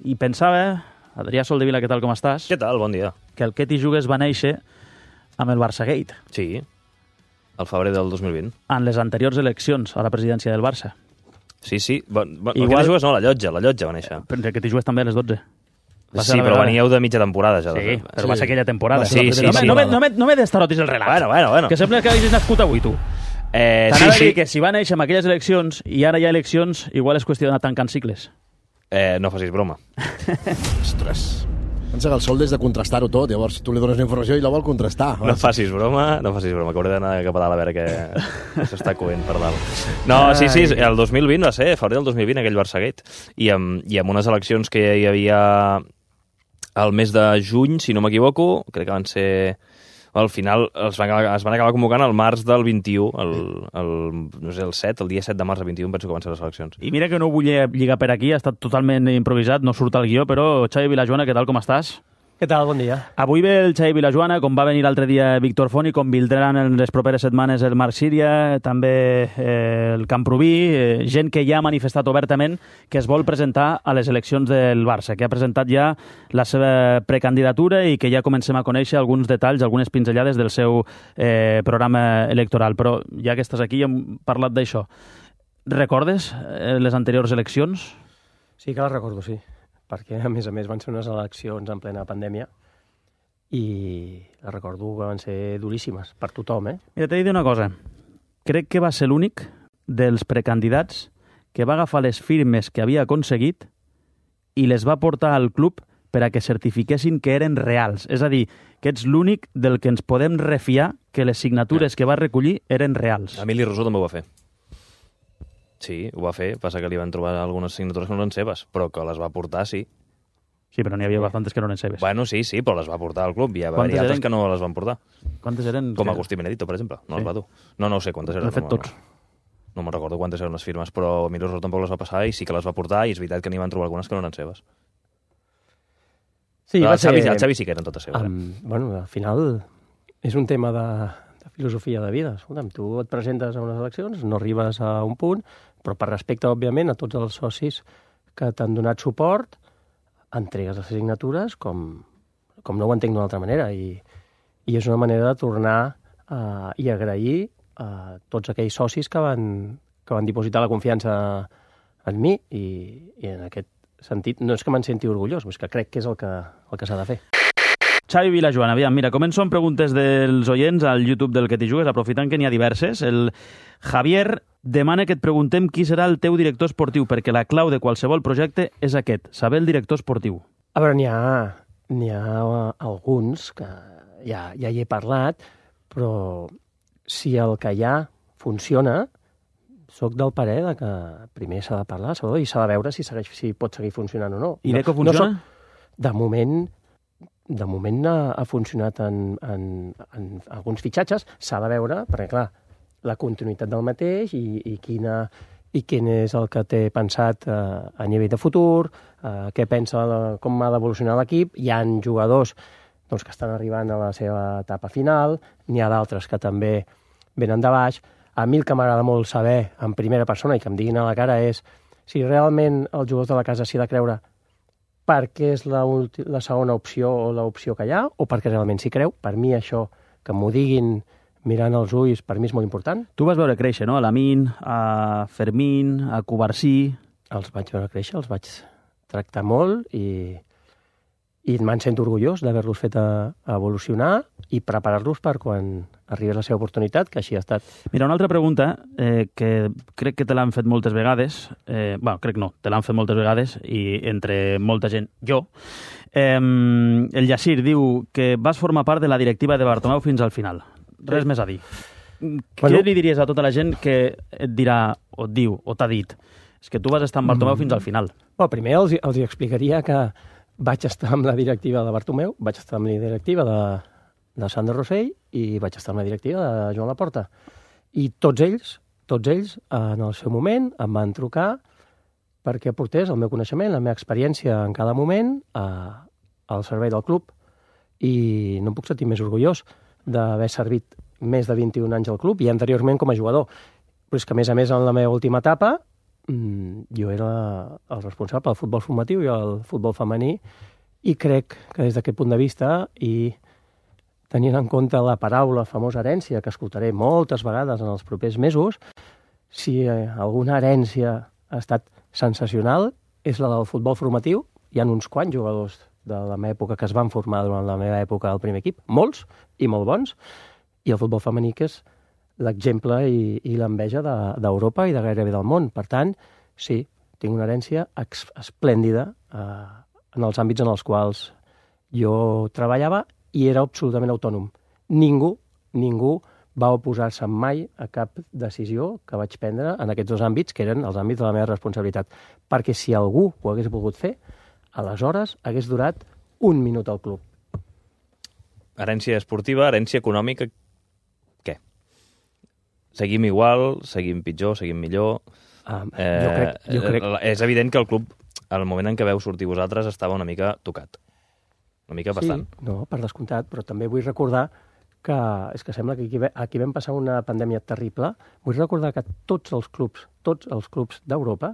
I pensava, Adrià Soldevila, què tal, com estàs? Què tal? Bon dia. Que el Què t'hi jugues va néixer amb el Barçagate. Sí, al febrer del 2020. En les anteriors eleccions a la presidència del Barça. Sí. Igual... El que t'hi jugues no, la llotja va néixer. Però el Que t'hi jugues també a les 12. Sí, però veníeu de mitja temporada ja. Sí, però va ser aquella temporada. Sí. No me destarotis el relat. Bueno. Que sembla que hagis nascut avui, tu. T'anava a dir que si va néixer amb aquelles eleccions i ara hi ha eleccions, igual és qüestió d'anar tancant cicles. No facis broma. Ostres. Pensa que el Sol des de contrastar-ho tot, llavors tu li dones la informació i la vol contrastar. No facis broma, que hauré d'anar cap a dalt a veure què s'està coent per dalt. No, sí, el 2020 va ser, febrer del 2020, aquell Barçagate. I amb unes eleccions que hi havia al mes de juny, si no m'equivoco, crec que van ser... Al final es van acabar convocant al març del 21, no sé, el dia 7 de març del 21 penso que van ser les eleccions. I mira que no ho vull lligar per aquí, ha estat totalment improvisat, no surt al guió, però Xavi Vilajoana, què tal, com estàs? Què tal? Bon dia. Avui ve el Xavi Vilajoana, com va venir l'altre dia Víctor Font i com vindran en les properes setmanes el Marc Síria, també el Camproví, gent que ja ha manifestat obertament que es vol presentar a les eleccions del Barça, que ha presentat ja la seva precandidatura i que ja comencem a conèixer alguns detalls, algunes pinzellades del seu programa electoral. Però ja que estàs aquí hem parlat d'això. Recordes les anteriors eleccions? Sí que les recordo, sí. Perquè, a més, van ser unes eleccions en plena pandèmia i les recordo que van ser duríssimes per tothom, Mira, t'he de dir una cosa. Crec que va ser l'únic dels precandidats que va agafar les firmes que havia aconseguit i les va portar al club per a que certifiquessin que eren reals. És a dir, que ets l'únic del que ens podem refiar que les signatures que va recollir eren reals. Emili Rosó també ho va fer. Sí, ho va fer, passa que li van trobar algunes signatures que no eren seves, però que les va portar, sí. Sí, però n'hi havia bastantes que no eren seves. Bueno, sí, però les va portar al club. Hi va haver altres que no les van portar. Quantes eren? Com Agustí Benedito, per exemple. No les va dur. No ho sé quantes eren. De fet, tots. No me'n recordo quantes eren les firmes, però Emili Rosó tampoc les va passar i sí que les va portar i és veritat que n'hi van trobar algunes que no eren seves. Sí, el Xavi sí que eren totes seves. Bueno, al final és un tema de filosofia de vida. Escolta'm, tu et presentes a unes eleccions, no arribes a un punt, però per respecte, òbviament, a tots els socis que t'han donat suport, entregues les signatures com no ho entenc d'una altra manera. I és una manera de tornar i agrair a tots aquells socis que van dipositar la confiança en mi i en aquest sentit no és que me'n senti orgullós, és que crec que és el que s'ha de fer. Xavi Vilajoana, aviam, mira, començo amb preguntes dels oients al YouTube del Que t'hi jugues, aprofitant que n'hi ha diverses. El Javier demana que et preguntem qui serà el teu director esportiu, perquè la clau de qualsevol projecte és aquest, saber el director esportiu. A veure, n'hi ha alguns que ja hi he parlat, però si el que hi ha funciona, soc del parer de que primer s'ha de parlar, Salvador, i s'ha de veure si pot seguir funcionant o no. I Deco funciona? De moment ha funcionat en alguns fitxatges, s'ha de veure, perquè clar, la continuïtat del mateix i quin és el que té pensat a nivell de futur, què pensa, com ha d'evolucionar l'equip. Hi ha jugadors que estan arribant a la seva etapa final, n'hi ha d'altres que també venen de baix. A mi el que m'agrada molt saber en primera persona i que em diguin a la cara és si realment els jugadors de la casa s'hi ha de creure perquè és la segona opció o l'opció que hi ha, o perquè realment s'hi creu. Per mi això, que m'ho diguin mirant els ulls, per mi és molt important. Tu vas veure créixer, no? A Lamine, a Fermín, a Cubarsí... Els vaig veure créixer, els vaig tractar molt i me'n sento orgullós d'haver-los fet evolucionar i preparar-los per quan arribi la seva oportunitat, que així ha estat. Mira, una altra pregunta que crec que te l'han fet moltes vegades, crec no, te l'han fet moltes vegades i entre molta gent, jo. El Yassir diu que vas formar part de la directiva de Bartomeu fins al final. Res més a dir. Què li diries a tota la gent que et dirà, o et diu, o t'ha dit, és que tu vas estar amb Bartomeu fins al final? Primer els explicaria que vaig estar amb la directiva de Bartomeu, vaig estar amb la directiva de Sandro Rosell i vaig estar amb la directiva de Joan Laporta. I tots ells, en el seu moment, em van trucar perquè aportés el meu coneixement, la meva experiència en cada moment al servei del club. I no em puc sentir més orgullós d'haver servit més de 21 anys al club i anteriorment com a jugador. Però és que, a més, en la meva última etapa jo era el responsable del futbol formatiu i el futbol femení, i crec que des d'aquest punt de vista, i tenint en compte la paraula famosa herència, que escoltaré moltes vegades en els propers mesos, si alguna herència ha estat sensacional, és la del futbol formatiu. Hi ha uns quants jugadors de la meva època que es van formar durant la meva època al primer equip, molts i molt bons, i el futbol femení, que és l'exemple i l'enveja d'Europa i de gairebé del món. Per tant, sí, tinc una herència esplèndida en els àmbits en els quals jo treballava i era absolutament autònom. Ningú va oposar-se mai a cap decisió que vaig prendre en aquests 2 àmbits, que eren els àmbits de la meva responsabilitat. Perquè si algú ho hagués volgut fer, aleshores hagués durat 1 minut al club. Herència esportiva, herència econòmica, què? Seguim igual, seguim pitjor, seguim millor... Jo crec... És evident que el club, al moment en què veu sortir vosaltres, estava una mica tocat. Una mica bastant. Sí, no, per descomptat, però també vull recordar que és que sembla que aquí vam passar una pandèmia terrible. Vull recordar que tots els clubs d'Europa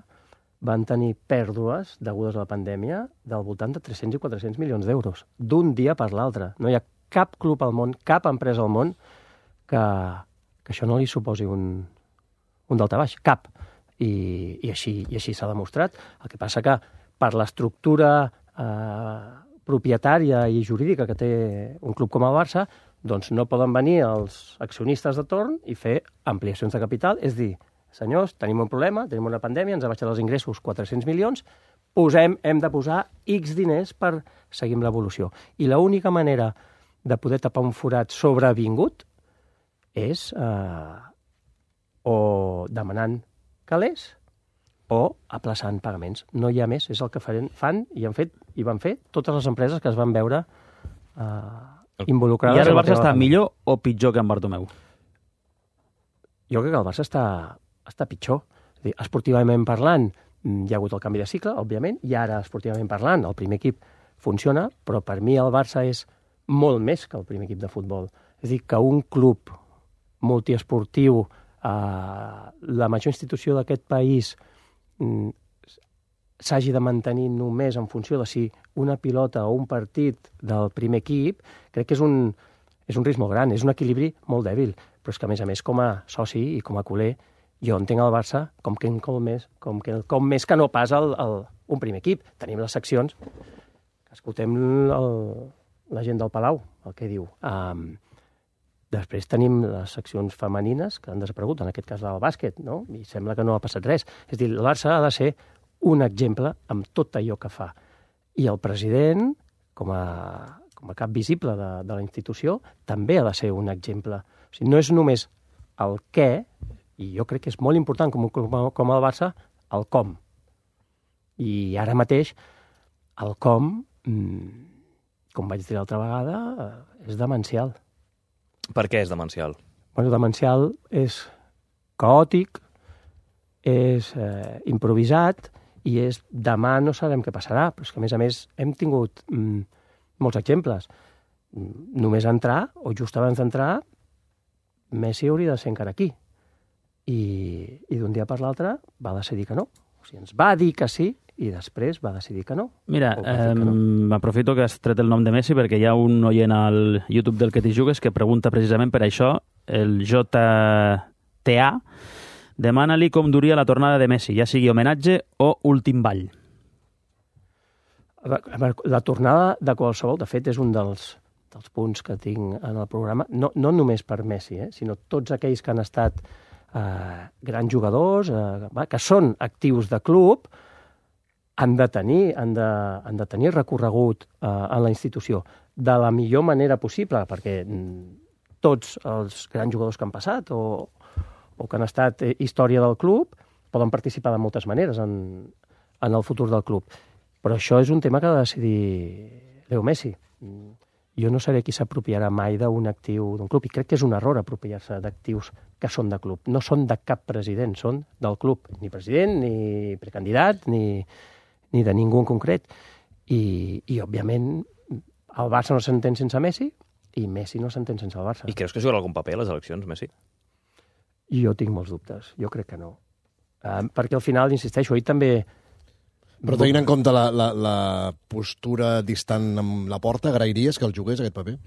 van tenir pèrdues degudes a la pandèmia del voltant de 300 i 400 milions d'euros, d'un dia per l'altre. No hi ha cap club al món, cap empresa al món que això no li suposi un daltabaix, cap. I així s'ha demostrat. El que passa que per l'estructura propietària i jurídica que té un club com el Barça, doncs no poden venir els accionistes de torn i fer ampliacions de capital, és dir, senyors, tenim un problema, tenim una pandèmia, ens ha baixat els ingressos 400 milions, hem de posar X diners per seguir amb l'evolució. I l'única manera de poder tapar un forat sobrevingut és o demanant calés o aplaçant pagaments. No hi ha més, és el que fan i van fer totes les empreses que es van veure involucrades. I ara el Barça està millor o pitjor que en Bartomeu? Jo crec que el Barça està pitjor. És dir, esportivament parlant, hi ha hagut el canvi de cicle, òbviament, i ara, esportivament parlant, el primer equip funciona, però per mi el Barça és molt més que el primer equip de futbol. És a dir, que un club multiesportiu, la major institució d'aquest país, s'hagi de mantenir només en funció de si una pilota o un partit del primer equip, crec que és un risc molt gran, és un equilibri molt dèbil, però és que, a més, com a soci i com a culer, jo entenc el Barça com més que no pas un primer equip. Tenim les seccions, escoltem la gent del Palau, el que diu. Després tenim les seccions femenines que han desaparegut, en aquest cas del bàsquet, no? I sembla que no ha passat res. És a dir, el Barça ha de ser un exemple amb tot allò que fa. I el president, com a cap visible de la institució, també ha de ser un exemple. O sigui, no és només el què, i jo crec que és molt important com el Barça, el com. I ara mateix el com, com vaig dir l'altra vegada, és demencial. Per què és demencial? Bueno, demencial és caòtic, és improvisat i és demà no sabem què passarà, però és que a més hem tingut molts exemples. Només entrar, o just abans d'entrar, Messi hauria de ser encara aquí. I d'un dia per l'altre va decidir que no. O sigui, ens va dir que sí i després va decidir que no. Mira, aprofito que has tret el nom de Messi perquè hi ha un oient al YouTube del Que t'hi jugues que pregunta precisament per això, el JTA, demana-li com duria la tornada de Messi, ja sigui homenatge o últim ball. La tornada de qualsevol, de fet, és un dels punts que tinc en el programa, no només per Messi, sinó tots aquells que han estat grans jugadors, que són actius de club, han de tenir recorregut en la institució de la millor manera possible, perquè tots els grans jugadors que han passat o que han estat història del club poden participar de moltes maneres en el futur del club. Però això és un tema que ha de decidir Leo Messi. Jo no seré qui s'apropiarà mai d'un actiu d'un club, i crec que és un error apropiar-se d'actius que són de club. No són de cap president, són del club. Ni president, ni precandidat, ni de ningú en concret. I òbviament, el Barça no s'entén sense Messi i Messi no s'entén sense el Barça. I creus que jugarà algun paper a les eleccions, Messi? Jo tinc molts dubtes. Jo crec que no. Perquè al final, insisteixo, ell també... Però tenint en compte la postura distant amb la porta, agrairies que el jugués, aquest paper?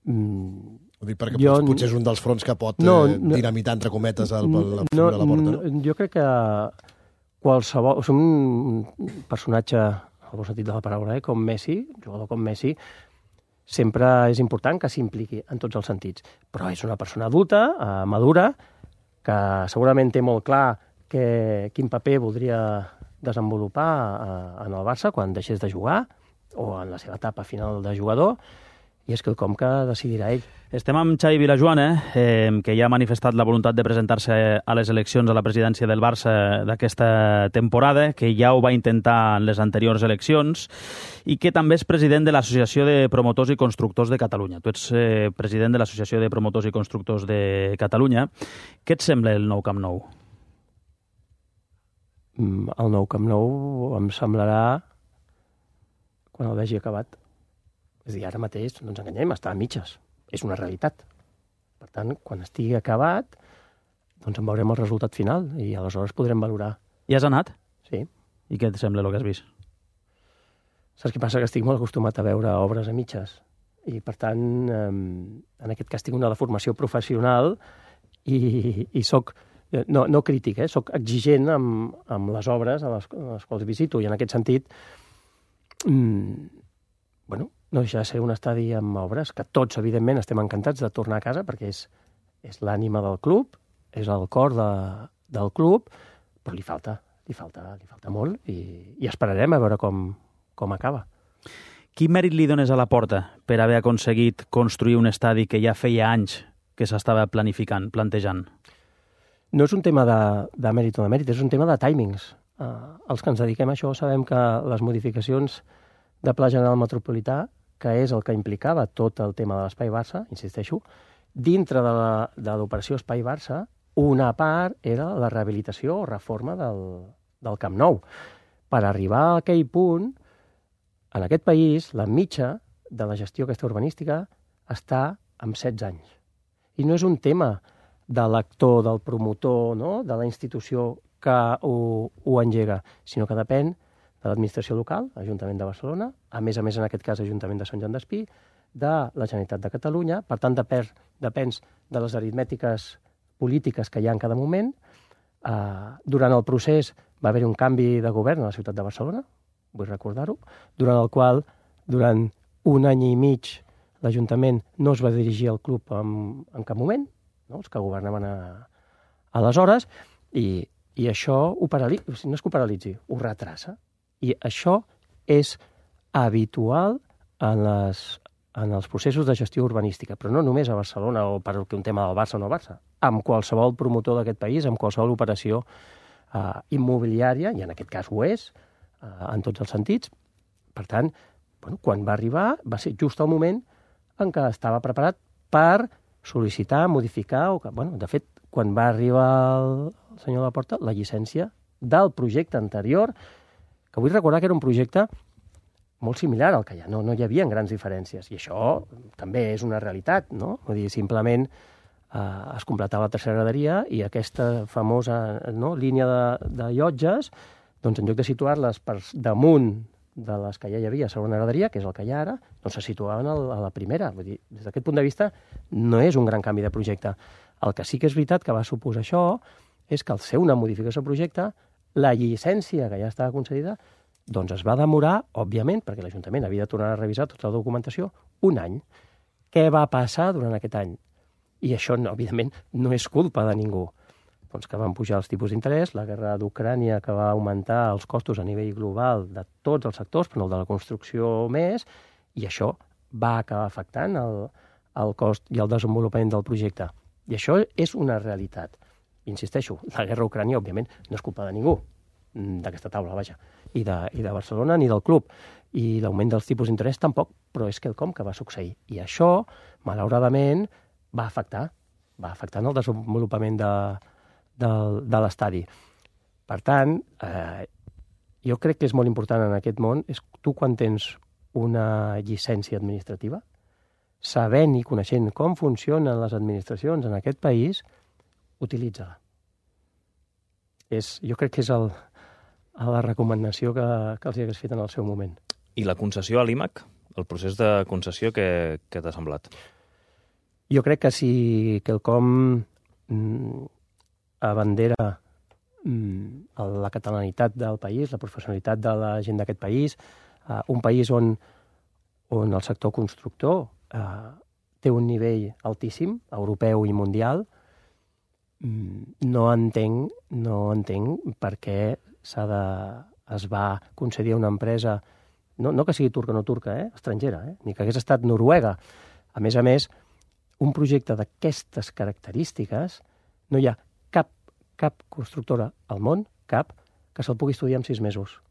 Ho dic perquè potser és un dels fronts que pot dinamitar, entre cometes, la postura de la porta. Jo crec que qualsevol... O sigui, un personatge, al bon sentit de la paraula, com Messi, un jugador com Messi, sempre és important que s'impliqui en tots els sentits. Però és una persona adulta, madura, que segurament té molt clar quin paper voldria desenvolupar en el Barça quan deixés de jugar o en la seva etapa final de jugador, i és quelcom que decidirà ell. Estem amb Xavi Vilajoana, que ja ha manifestat la voluntat de presentar-se a les eleccions a la presidència del Barça d'aquesta temporada, que ja ho va intentar en les anteriors eleccions, i que també és president de l'Associació de Promotors i Constructors de Catalunya. Tu ets president de l'Associació de Promotors i Constructors de Catalunya. Què et sembla el nou Camp Nou? El nou Camp Nou em semblarà quan el vegi acabat. És a dir, ara mateix, no ens enganyem, està a mitges. És una realitat. Per tant, quan estigui acabat, doncs en veurem el resultat final i aleshores podrem valorar. I has anat? Sí. I què et sembla el que has vist? Saps què passa? Que estic molt acostumat a veure obres a mitges. I, per tant, en aquest cas tinc una formació professional i soc... No crític, soc exigent amb les obres a les quals visito, i en aquest sentit, no deixa de ser un estadi amb obres que tots, evidentment, estem encantats de tornar a casa perquè és l'ànima del club, és el cor del club, però li falta molt i esperarem a veure com acaba. Quin mèrit li dones a la Porta per haver aconseguit construir un estadi que ja feia anys que s'estava plantejant? No és un tema de mèrit o de mèrit, és un tema de timings. Els que ens dediquem a això sabem que les modificacions de Pla General Metropolità, que és el que implicava tot el tema de l'Espai Barça, insisteixo, dintre de l'operació Espai Barça, una part era la rehabilitació o reforma del Camp Nou. Per arribar a aquell punt, en aquest país, la mitja de la gestió aquesta urbanística està amb 16 anys. I no és un tema de l'actor, del promotor, no? De la institució que ho engega, sinó que depèn de l'administració local, Ajuntament de Barcelona, a més, en aquest cas, Ajuntament de Sant Joan d'Espí, de la Generalitat de Catalunya, per tant, depèn de les aritmètiques polítiques que hi ha en cada moment. Durant el procés va haver-hi un canvi de govern a la ciutat de Barcelona, vull recordar-ho, durant el qual, durant un any i mig, l'Ajuntament no es va dirigir al club en cap moment, no? Els que governaven aleshores, i això no és que ho paralitzi, ho retrassa. I això és habitual en els processos de gestió urbanística, però no només a Barcelona o per un tema del Barça o no Barça, amb qualsevol promotor d'aquest país, amb qualsevol operació immobiliària, i en aquest cas ho és, en tots els sentits. Per tant, quan va arribar va ser just el moment en què estava preparat per sol·licitar, modificar, de fet, quan va arribar el senyor Laporta, la llicència del projecte anterior, que vull recordar que era un projecte molt similar al que hi ha, no hi havia grans diferències, i això també és una realitat, no? Vull dir, simplement es completava la tercera graderia i aquesta famosa línia de llotges, doncs en lloc de situar-les per damunt de les que ja hi havia a segona graderia, que és el que hi ha ara, doncs se situaven a la primera. Vull dir, des d'aquest punt de vista, no és un gran canvi de projecte. El que sí que és veritat que va suposar això és que al ser una modificació de projecte, la llicència que ja estava concedida, doncs es va demorar, òbviament, perquè l'Ajuntament havia de tornar a revisar tota la documentació, un any. Què va passar durant aquest any? I això, evidentment, no és culpa de ningú. Doncs que van pujar els tipus d'interès, la guerra d'Ucrània que va augmentar els costos a nivell global de tots els sectors, però el de la construcció més, i això va acabar afectant el cost i el desenvolupament del projecte. I això és una realitat. Insisteixo, la guerra d'Ucrània, òbviament, no és culpa de ningú, d'aquesta taula, vaja, i de Barcelona ni del club. I l'augment dels tipus d'interès tampoc, però és quelcom que va succeir. I això, malauradament, va afectar en el desenvolupament de l'estadi. Per tant, jo crec que és molt important en aquest món, és tu quan tens una llicència administrativa, sabent i coneixent com funcionen les administracions en aquest país, utilitza-la. Jo crec que és la recomanació que els hi hagués fet en el seu moment. I la concessió a l'IMAC? El procés de concessió, què t'ha semblat? Jo crec que si quelcom abandera la catalanitat del país, la professionalitat de la gent d'aquest país, un país on el sector constructor té un nivell altíssim, europeu i mundial, no entenc per què es va concedir a una empresa, no que sigui turca o no turca, estrangera, ni que hagués estat Noruega. A més, un projecte d'aquestes característiques, no hi ha cap constructora al món, que se'l pugui estudiar en 6 mesos.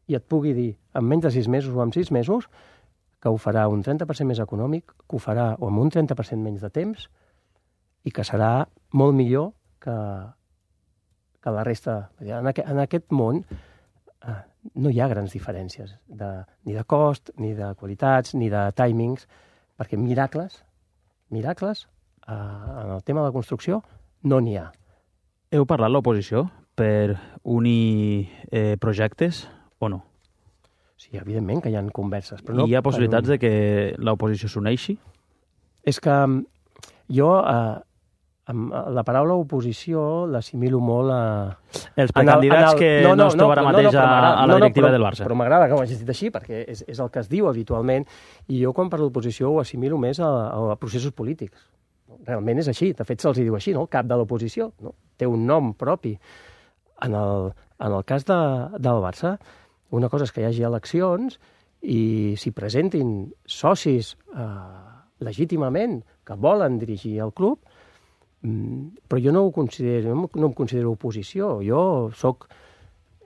I et pugui dir, en menys de 6 mesos o en 6 mesos, que ho farà un 30% més econòmic, que ho farà amb un 30% menys de temps, i que serà molt millor que la resta. En aquest món no hi ha grans diferències, ni de cost, ni de qualitats, ni de timings, perquè miracles, en el tema de la construcció, no n'hi ha. Heu parlat l'oposició per unir projectes o no? Sí, evidentment que hi ha converses. Però no hi ha possibilitats de que l'oposició s'uneixi? És que jo la paraula oposició l'assimilo molt a... Els precandidats que no es troben ara mateix a la directiva del Barça. Però m'agrada que ho hagis dit així, perquè és el que es diu habitualment, i jo quan parlo d'oposició ho assimilo més a processos polítics. Realment és així, de fet se'ls diu així, no? El cap de l'oposició, no? Té un nom propi. En el cas del Barça, una cosa és que hi hagi eleccions i s'hi presentin socis legítimament que volen dirigir el club, però jo no em considero oposició. Jo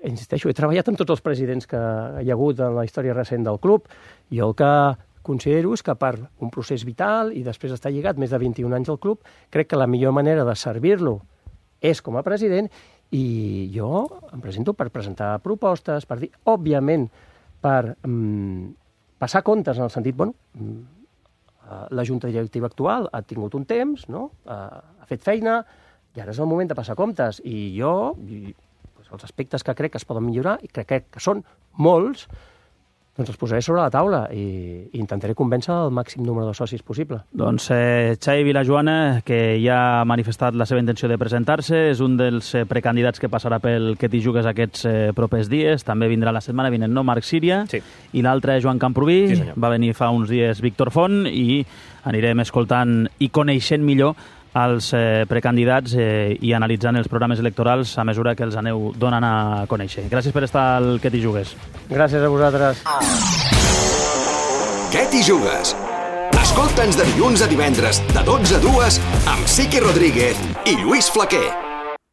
insisteixo, he treballat amb tots els presidents que hi ha hagut en la història recent del club. Jo el que considero és que per un procés vital i després estar lligat més de 21 anys al club, crec que la millor manera de servir-lo és com a president, i jo em presento per presentar propostes, per dir, òbviament, per passar comptes en el sentit, la junta directiva actual ha tingut un temps, no? Ha fet feina, i ara és el moment de passar comptes. I jo, els aspectes que crec que es poden millorar, i crec que són molts, doncs els posaré sobre la taula i intentaré convèncer el màxim número de socis possible. Doncs Xavi Vilajoana, que ja ha manifestat la seva intenció de presentar-se, és un dels precandidats que passarà pel que t'hi jugues aquests propers dies. També vindrà la setmana vinent, no? Marc Síria. Sí. I l'altre, Joan Camprubí. Sí, senyor. Va venir fa uns dies Víctor Font i anirem escoltant i coneixent millor els precandidats i analitzant els programes electorals a mesura que els aneu donant a conèixer. Gràcies per estar al Que t'hi jugues. Gràcies a vosaltres. Què t'hi jugues? Escolta'ns de dilluns a divendres, de 12 a 2, amb Siqui Rodríguez i Lluís Flaquer.